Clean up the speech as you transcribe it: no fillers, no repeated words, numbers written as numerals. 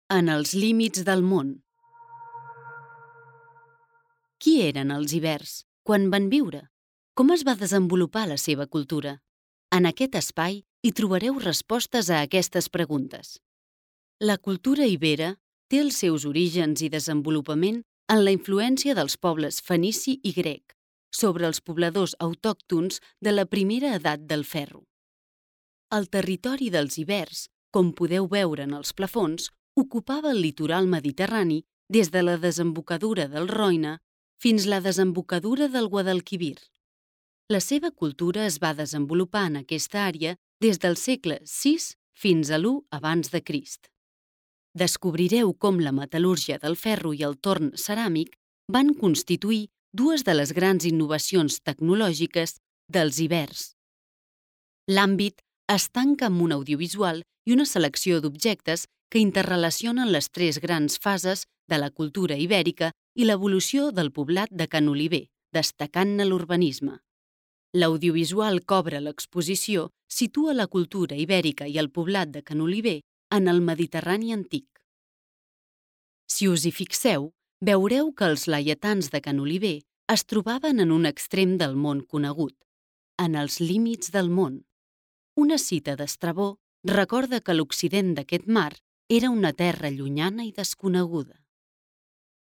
En els límits del món. Qui eren els ibers? Quan van viure? Com es va desenvolupar la seva cultura? En aquest espai hi trobareu respostes a aquestes preguntes. La cultura ibera té els seus orígens i desenvolupament en la influència dels pobles fenici i grec sobre els pobladors autòctons de la primera edat del ferro. El territori dels ibers, com podeu veure en els plafons, ocupava el litoral mediterrani des de la desembocadura del Roine fins la desembocadura del Guadalquivir. La seva cultura es va desenvolupar en aquesta àrea des del segle VI fins a l'1 abans de Crist. Descobrireu com la metal·lúrgia del ferro i el torn ceràmic van constituir dues de les grans innovacions tecnològiques dels ibers. L'àmbit es tanca amb un audiovisual i una selecció d'objectes que interrelacionen les tres grans fases de la cultura ibèrica i l'evolució del poblat de Ca n'Oliver, destacant-ne l'urbanisme. L'audiovisual que obre l'exposició situa la cultura ibèrica i el poblat de Ca n'Oliver en el Mediterrani antic. Si us hi fixeu, veureu que els laietans de Ca n'Oliver es trobaven en un extrem del món conegut, en els límits del món. Una cita d'Estrabó recorda que l'occident d'aquest mar era una terra llunyana i desconeguda.